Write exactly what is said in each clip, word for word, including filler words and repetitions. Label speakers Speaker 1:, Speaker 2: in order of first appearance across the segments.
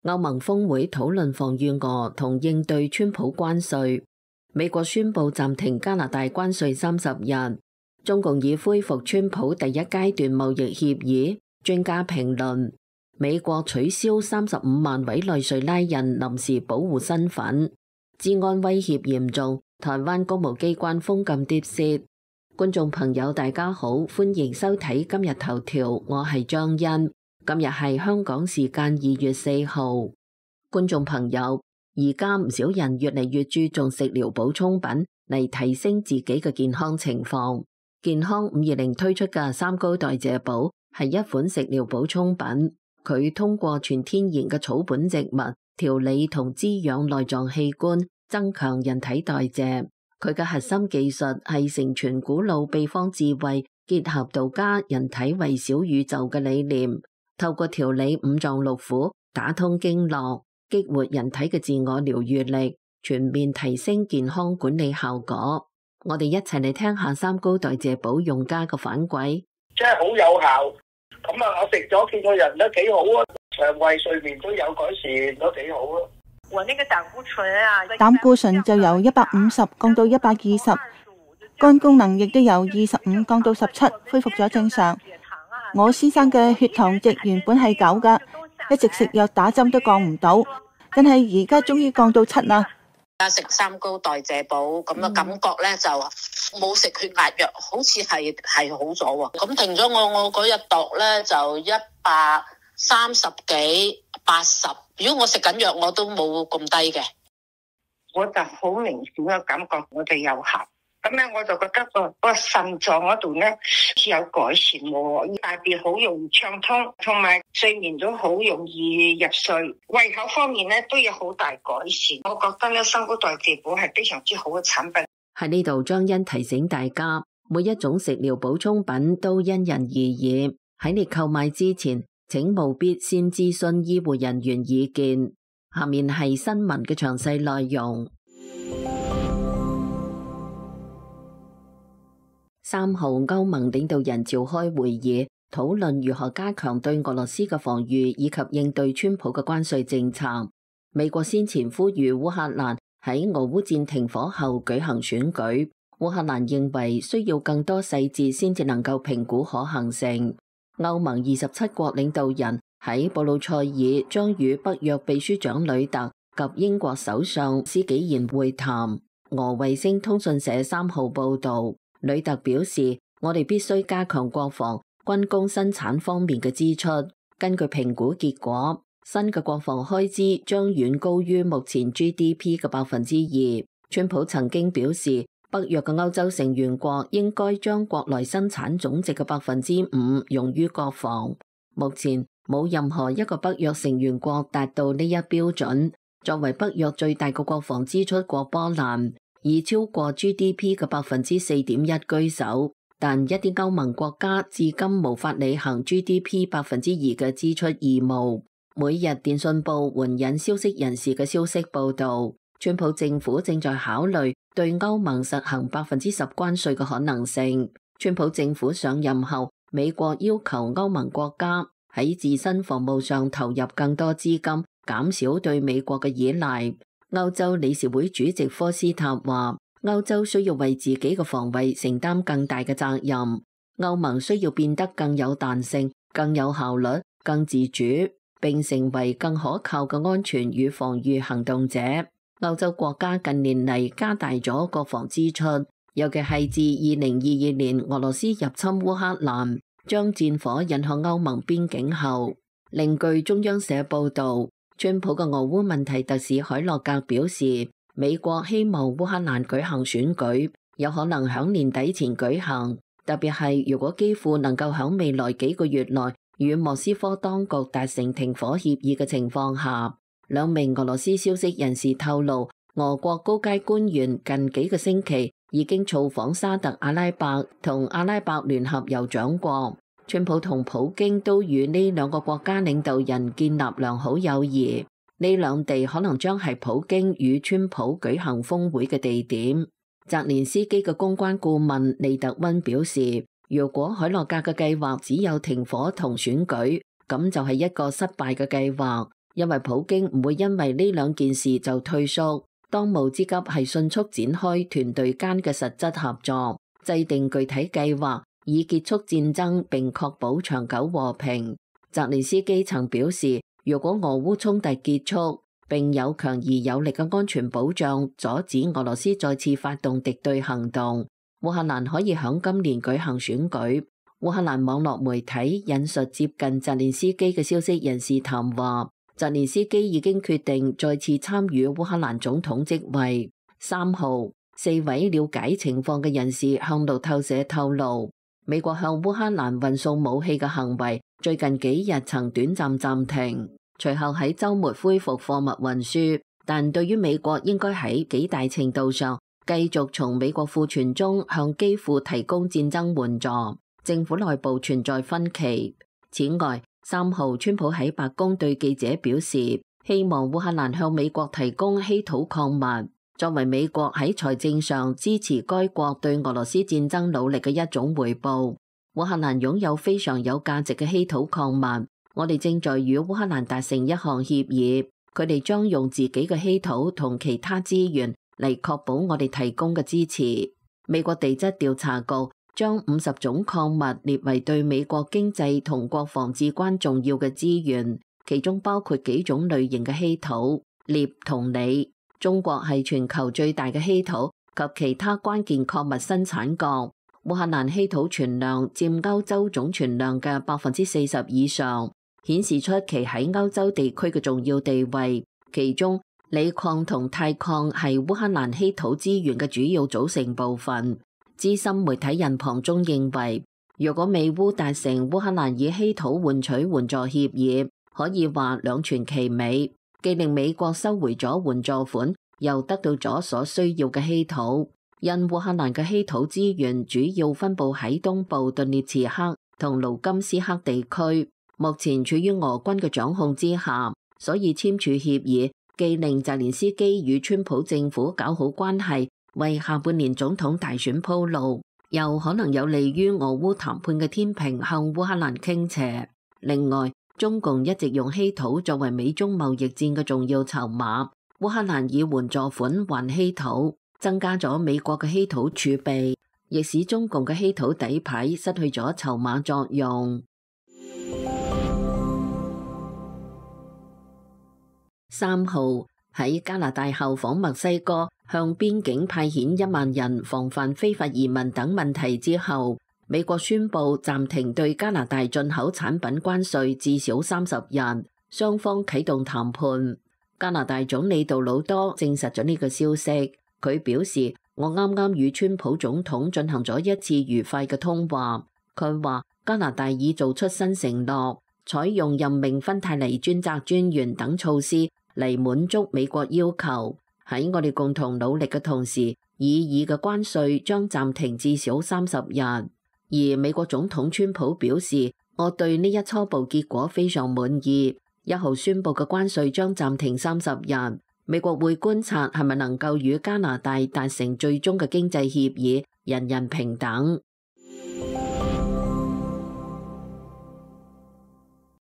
Speaker 1: 歐盟峰會討論防禦俄同應對川普關稅。美國宣布暫停加拿大關稅三十日。中共已恢復川普第一階段貿易協議。專家評論：美國取消三十五萬委內瑞拉人臨時保護身份。治安威脅嚴重，台灣公務機關封禁碟泄。觀眾朋友大家好，歡迎收睇今日頭條，我係張欣。今日係香港時間二月四號。觀眾朋友，而家唔少人越嚟越注重食療補充品嚟提升自己嘅健康情況。健康五二零推出嘅三高代謝寶係一款食療補充品，佢通過全天然嘅草本植物調理同滋養內臟器官，增強人體代謝。佢嘅核心技術係承傳古老秘方智慧，結合道家人體為小宇宙嘅理念。透過調理五臟六腑，打通經絡，激活人體嘅自我療癒力，全面提升健康管理效果。我哋一齊嚟聽下三高代謝寶用家嘅反饋。
Speaker 2: 真係好有效，咁啊，我食咗見個人都幾好啊，腸胃睡眠都有改善，都幾好啊。我那個膽固醇啊，
Speaker 3: 膽固醇就由一百五十降到一百二十，肝功能亦都由二十五降到十七，恢復咗正常。我先生嘅血糖值原本係九噶，一直食藥打針都降唔到，但係而家終於降到七啦。
Speaker 4: 而家食三高代謝寶咁嘅感覺咧，就冇食血壓藥，好似係係好咗喎。咁停咗我，我嗰日度咧就一百三十幾八十。如果我食緊藥，我都冇咁低嘅。
Speaker 5: 我就好明顯嘅感覺，我哋有效。咁咧，我就覺得個個腎臟嗰度咧似有改善喎，大便好容易暢通，同埋睡眠都好容易入睡，胃口方面咧都有好大改善。我覺得咧，三高代謝寶係非常之好嘅產品。
Speaker 1: 喺呢度，張欣提醒大家，每一種食療補充品都因人而異，喺你購買之前，請務必先諮詢醫護人員意見。下面係新聞嘅詳細內容。三號歐盟領導人召開會議，討論如何加強對俄羅斯嘅防禦以及應對川普嘅關稅政策。美國先前呼籲烏克蘭喺俄烏戰停火後舉行選舉，烏克蘭認為需要更多細節先至能夠評估可行性。歐盟二十七國領導人喺布魯塞爾將與北約秘書長呂特及英國首相施紀賢會談。俄衛星通訊社三號報道，呂特表示，我哋必須加強國防、軍工生產方面嘅支出。根據評估結果，新嘅國防開支將遠高於目前 G D P 嘅百分之二。川普曾經表示，北約嘅歐洲成員國應該將國內生產總值嘅百分之五用於國防。目前冇任何一個北約成員國達到呢一標準。作為北約最大嘅國防支出國波蘭，以超過 G D P 嘅百分之四點一居首，但一啲歐盟國家至今無法履行 G D P 百分之二嘅支出義務。每日電訊報援引消息人士嘅消息報道，川普政府正在考慮對歐盟實行百分之十關稅嘅可能性。川普政府上任後，美國要求歐盟國家喺自身防務上投入更多資金，減少對美國嘅依賴。歐洲理事會主席科斯塔話，歐洲需要為自己嘅防衛承擔更大嘅責任。歐盟需要變得更有彈性、更有效率、更自主，並成為更可靠嘅安全與防禦行動者。歐洲國家近年嚟加大咗國防支出，尤其係自二零二二年俄羅斯入侵烏克蘭，將戰火引向歐盟邊境後。另據中央社報道，川普嘅俄烏問題特使凱洛格表示，美國希望烏克蘭舉行選舉，有可能響年底前舉行，特別係如果基輔能夠響未來幾個月內與莫斯科當局達成停火協議嘅情況下。兩名俄羅斯消息人士透露，俄國高階官員近幾個星期已經造訪沙特阿拉伯同阿拉伯聯合酋長國。川普同普京都與呢兩個國家領導人建立良好友誼，呢兩地可能將係普京與川普舉行峰會嘅地點。澤連斯基嘅公關顧問利特溫表示，如果凱洛格嘅計劃只有停火同選舉，咁就係一個失敗嘅計劃。因為普京唔會因為呢兩件事就退縮。當務之急係迅速展開團隊間嘅實質合作，制定具體計劃，以結束戰爭並確保長久和平。澤連斯基曾表示，如果俄烏衝突結束，並有強而有力嘅安全保障，阻止俄羅斯再次發動敵對行動，烏克蘭可以響今年舉行選舉。烏克蘭網絡媒體引述接近澤連斯基嘅消息人士談話，澤連斯基已經決定再次參與烏克蘭總統職位。三號，四位了解情況嘅人士向路透社透露，美國向烏克蘭運送武器嘅行為最近幾日曾短暫暫停，隨後喺週末恢復貨物運輸，但對於美國應該喺幾大程度上繼續從美國庫存中向基輔提供戰爭援助，政府內部存在分歧。此外，三號，川普喺白宮對記者表示，希望烏克蘭向美國提供稀土礦物，作為美國喺財政上支持該國對俄羅斯戰爭努力嘅一種回報。烏克蘭擁有非常有價值嘅稀土礦物，我哋正在與烏克蘭達成一項協議，佢哋將用自己嘅稀土同其他資源嚟確保我哋提供嘅支持。美國地質調查局將五十種礦物列為對美國經濟同國防至關重要嘅資源，其中包括幾種類型嘅稀土、鎳同鋰。中國係全球最大嘅稀土及其他關鍵礦物生產國。烏克蘭稀土存量佔歐洲總存量嘅百分之四十以上，顯示出其喺歐洲地區嘅重要地位。其中，鋰礦同鈦礦係烏克蘭稀土資源嘅主要組成部分。資深媒體人龐中認為，如果美烏達成烏克蘭以稀土換取援助協議，可以話兩全其美，既令美國收回咗援助款，又得到咗所需要嘅稀土。因烏克蘭嘅稀土資源主要分布喺東部頓涅茨克同盧甘斯克地區，目前處於俄軍嘅掌控之下，所以簽署協議既令澤連斯基與川普政府搞好關係，為下半年總統大選鋪路，又可能有利於俄烏談判嘅天平向烏克蘭傾斜。另外，中共一直用稀土作為美中貿易戰嘅重要籌碼，烏克蘭以援助款還稀土，增加咗美國嘅稀土儲備，亦使中共嘅稀土底牌失去咗籌碼作用。三號，喺加拿大效仿墨西哥向邊境派遣一萬人防範非法移民等問題之後，美國宣布暫停對加拿大進口產品關稅至少三十日，雙方啟動談判。加拿大總理杜魯多證實咗呢個消息，佢表示，我啱啱與川普總統進行咗一次愉快嘅通話。佢話加拿大已做出新承諾，採用任命芬太尼專責專員等措施嚟滿足美國要求。喺我哋共同努力嘅同時，擬議嘅關稅將暫停至少三十日。而美國總統川普表示，我對呢一初步結果非常滿意。一號宣布嘅關稅將暫停三十日。美國會觀察係咪能夠與加拿大達成最終嘅經濟協議，人人平等。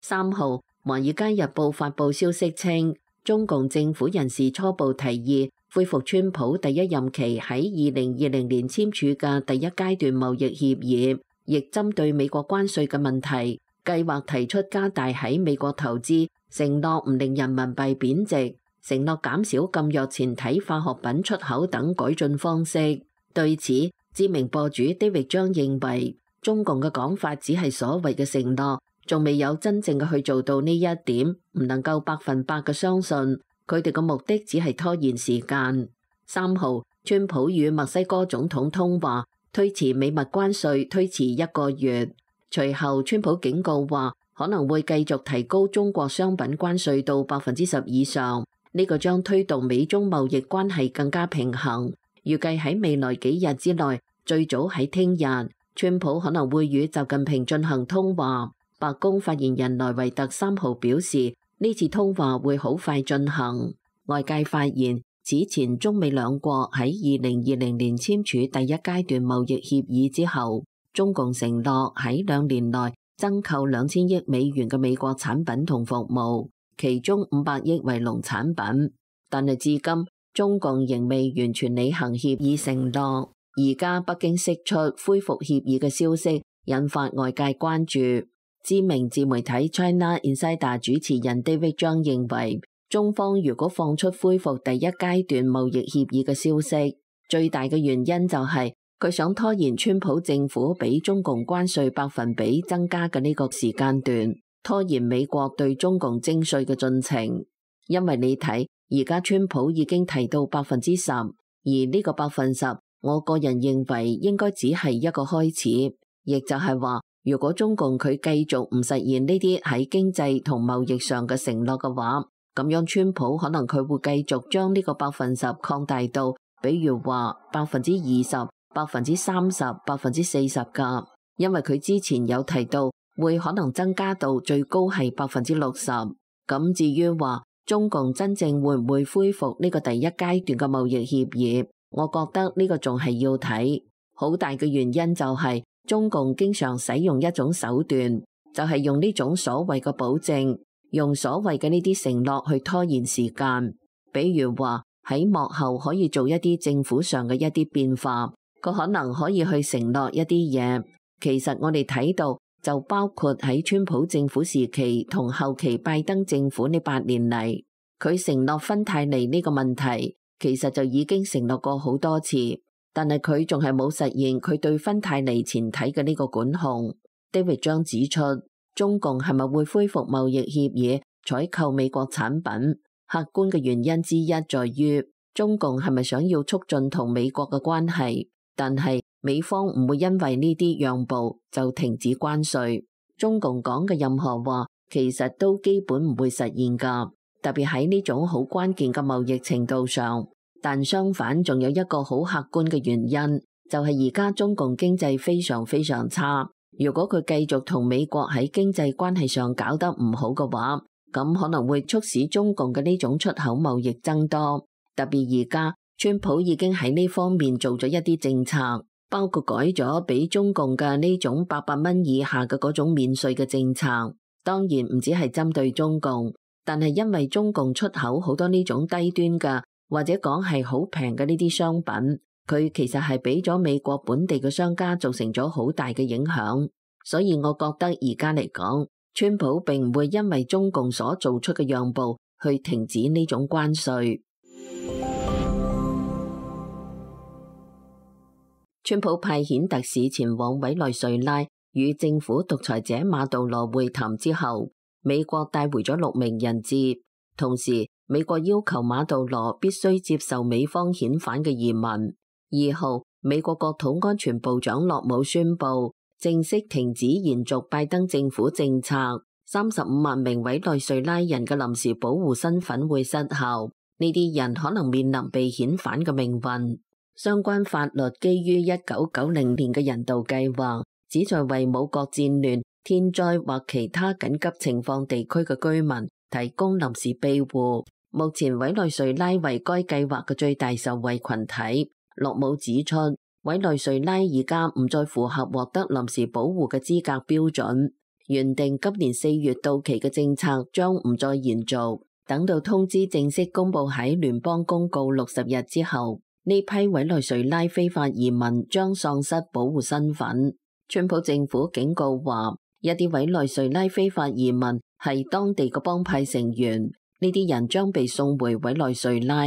Speaker 1: 三號，華爾街日報發布消息稱，中共政府人士初步提議恢復川普第一任期喺二零二零年簽署嘅第一階段貿易協議，亦針對美國關稅嘅問題，計劃提出加大喺美國投資，承諾唔令人民幣貶值，承諾減少禁藥前體化學品出口等改進方式。對此，知名博主 David 張認為，中共嘅講法只係所謂嘅承諾，仲未有真正嘅去做到呢一點，唔能夠百分百嘅相信。佢哋嘅目的只係拖延時間。三號，川普與墨西哥總統通話，推遲美墨關稅推遲一個月。隨後，川普警告話可能會繼續提高中國商品關稅到百分之十以上。呢個將推動美中貿易關係更加平衡。預計喺未來幾日之內，最早喺聽日，川普可能會與習近平進行通話。白宮發言人萊維特三號表示，呢次通話會好快進行。外界發現，此前中美兩國喺二零二零年簽署第一階段貿易協議之後，中共承諾喺兩年內增購兩千億美元嘅美國產品同服務。其中五百億為農產品。但係至今中共仍未完全履行協議承諾。而家北京釋出恢復協議嘅消息，引發外界關注。知名自媒體 China Insider 主持人 David Zhang 認為，中方如果放出恢復第一階段貿易協議嘅消息，最大嘅原因就係佢想拖延川普政府俾中共關稅百分比增加嘅呢個時間段，拖延美國對中共徵稅嘅進程。因為你睇，而家川普已經提到百分之十，而呢個百分十，我個人認為應該只係一個開始，亦就係話，如果中共佢繼續唔實現呢啲喺經濟同貿易上嘅承諾嘅話，咁樣川普可能佢會繼續將呢個百分十擴大到，比如話百分之二十、百分之三十、百分之四十噶，因為佢之前有提到會可能增加到最高係百分之六十。咁至於話中共真正會唔會恢復呢個第一階段嘅貿易協議，我覺得呢個仲係要睇。好大嘅原因就係中共經常使用一種手段，就係用呢種所謂嘅保證，用所謂嘅呢啲承諾去拖延時間。比如話喺幕後可以做一啲政府上嘅一啲變化，佢可能可以去承諾一啲嘢。其實我哋睇到就包括喺川普政府時期同後期拜登政府呢八年嚟，佢承諾芬太尼呢個問題，其實就已經承諾過好多次，但係佢仲係冇實現佢對芬太尼前體嘅呢個管控。David 將指出，中共係咪會恢復貿易協議，採購美國產品？客觀嘅原因之一在於，中共係咪想要促進同美國嘅關係？但係美方唔會因為呢啲讓步就停止關稅。中共講嘅任何話，其實都基本唔會實現㗎，特別喺呢種好關鍵嘅貿易程度上。但相反，仲有一個好客觀嘅原因，就係而家中共經濟非常非常差。如果佢繼續同美國喺經濟關係上搞得唔好嘅話，咁可能會促使中共嘅呢種出口貿易增多。特別而家川普已經喺呢方面做咗一啲政策，包括改咗俾中共嘅呢種八百蚊以下嘅嗰種免稅嘅政策。當然唔只係針對中共，但係因為中共出口好多呢種低端嘅或者講係好平嘅呢啲商品，佢其實係俾咗美國本地嘅商家造成咗好大嘅影響。所以我覺得而家嚟講，川普並唔會因為中共所做出嘅讓步去停止呢種關稅。川普派遣特使前往委內瑞拉與政府獨裁者馬杜羅會談之後，美國帶回咗六名人質，同時美國要求馬杜羅必須接受美方遣返嘅移民。二號，美國國土安全部長洛姆宣布正式停止延續拜登政府政策，三十五萬名委內瑞拉人嘅臨時保護身份會失效，呢啲人可能面臨被遣返嘅命運。相關法律基於一九九零年嘅人道計劃，旨在為冇國戰亂、天災或其他緊急情況地區嘅居民提供臨時庇護。目前委內瑞拉為該計劃嘅最大受惠群體。洛姆指出，委內瑞拉而家唔再符合獲得臨時保護嘅資格標準，原定今年四月到期嘅政策將唔再延續，等到通知正式公布喺聯邦公告六十日之後，呢批委內瑞拉非法移民將喪失保護身份。川普政府警告話，一啲委內瑞拉非法移民係當地嘅幫派成員，呢啲人將被送回委內瑞拉。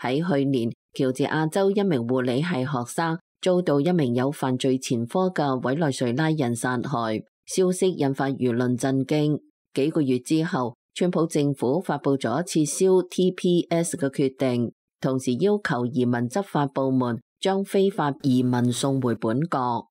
Speaker 1: 喺去年，喬治亞州一名護理系學生遭到一名有犯罪前科嘅委內瑞拉人殺害，消息引發輿論震驚。幾個月之後，川普政府發布咗撤銷 T P S 嘅決定，同時要求移民執法部門將非法移民送回本國。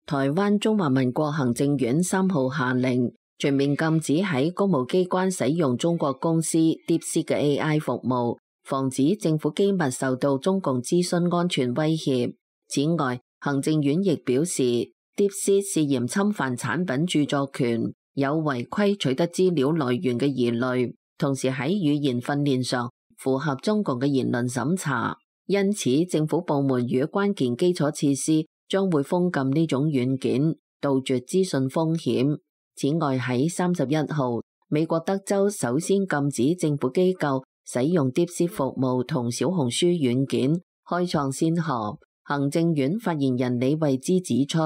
Speaker 1: 台灣中華民國行政院三號下令全面禁止喺公務機關使用中國公司 DeepSeek 嘅 A I 服務，防止政府機密受到中共資訊安全威脅。此外，行政院亦表示 DeepSeek 涉嫌侵犯產品著作權，有違規取得資料來源嘅疑慮，同時喺語言訓練上符合中共嘅言論審查，因此政府部門與關鍵基礎設施將會封禁呢種軟件。杜絕資訊風險。此外，喺三十一號，美國德州首先禁止政府機構使用 DeepSeek 服務同小紅書軟件，開創先河。行政院發言人李慧芝指出，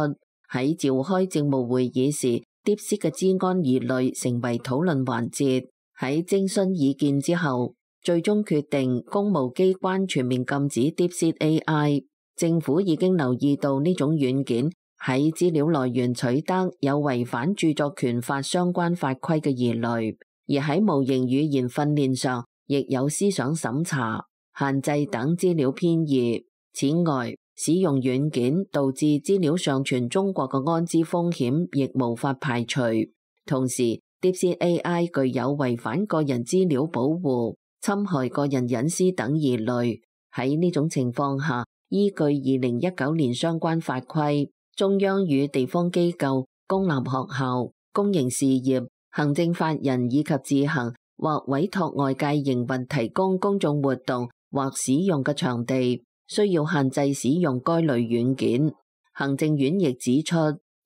Speaker 1: 喺召開政務會議時，DeepSeek 嘅資安疑慮成為討論環節。喺徵詢意見之後，最終決定公務機關全面禁止 DeepSeek A I。政府已經留意到呢種軟件喺資料來源取得有違反著作權法相關法規嘅疑慮，而喺模型語言訓練上亦有思想審查、限制等資料偏移。此外，使用軟件導致資料上傳中國嘅安全風險亦無法排除。同時，DeepSeek A I 具有違反個人資料保護、侵害個人隱私等疑慮。喺呢種情況下，依據二零一九年相關法規，中央與地方機構、公立學校、公營事業、行政法人以及自行或委託外界營運提供公眾活動或使用嘅場地，需要限制使用該類軟件。行政院亦指出，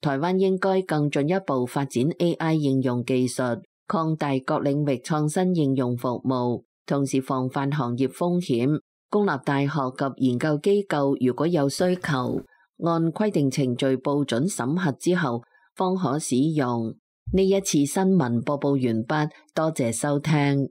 Speaker 1: 台灣應該更進一步發展 A I 應用技術，擴大各領域創新應用服務，同時防範行業風險。公立大學及研究機構如果有需求，按規定程序報准審核之後，方可使用。呢一次新聞播報完畢，多謝收聽。